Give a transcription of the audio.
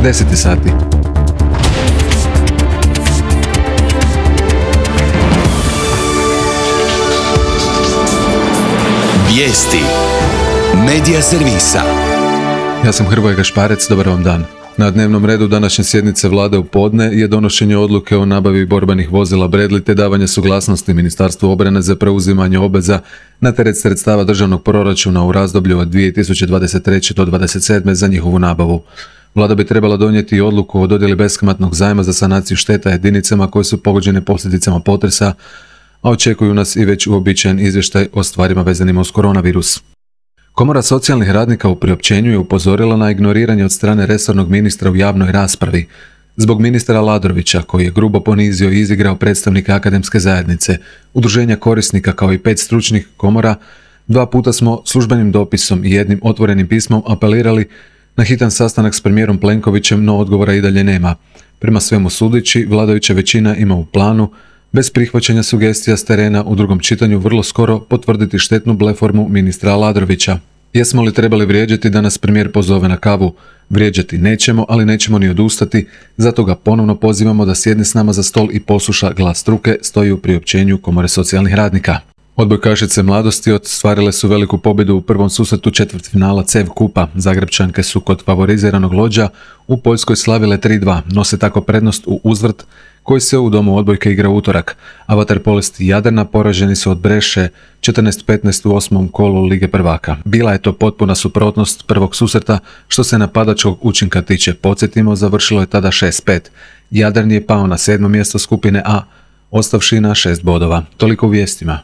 10 sati. Vijesti Medija servisa. Ja sam Hrvoje Gašparec, dobar vam dan. Na dnevnom redu današnje sjednice vlade u podne je donošenje odluke o nabavi borbenih vozila Bradley te davanje suglasnosti Ministarstvu obrane za preuzimanje obveza na teret sredstava državnog proračuna u razdoblju od 2023. do 2027. za njihovu nabavu. Vlada bi trebala donijeti odluku o dodjeli beskamatnog zajma za sanaciju šteta jedinicama koje su pogođene posljedicama potresa, a očekuju nas i već uobičajen izvještaj o stvarima vezanima uz koronavirus. Komora socijalnih radnika u priopćenju je upozorila na ignoriranje od strane resornog ministra u javnoj raspravi zbog ministra Aladrovića, koji je grubo ponizio i izigrao predstavnike akademske zajednice, udruženja korisnika kao i 5 stručnih komora. 2 puta smo službenim dopisom i jednim otvorenim pismom apelirali na hitan sastanak s premijerom Plenkovićem, no odgovora i dalje nema. Prema svemu sudeći, vladajuća većina ima u planu, bez prihvaćanja sugestija s terena, u drugom čitanju vrlo skoro potvrditi štetnu bleformu ministra Aladrovića. Jesmo li trebali vrijeđati da nas premijer pozove na kavu? Vrijeđati nećemo, ali nećemo ni odustati, zato ga ponovno pozivamo da sjedne s nama za stol i posluša glas struke, stoji u priopćenju Komore socijalnih radnika. Odbojkašice mladosti ostvarile su veliku pobjedu u prvom susretu četvrtfinala CEV kupa. Zagrepčanke su kod favoriziranog Lodža u Poljskoj slavile 3-2, nose tako prednost u uzvrt koji se u domu odbojke igra utorak, a vaterpolisti Jadrana poraženi su od Breše 14-15 u 8. kolu Lige prvaka. Bila je to potpuna suprotnost prvog susreta što se napadačkog učinka tiče. Podsjetimo, završilo je tada 6-5. Jadran je pao na 7. mjesto skupine A, ostavši na 6 bodova. Toliko u vijestima.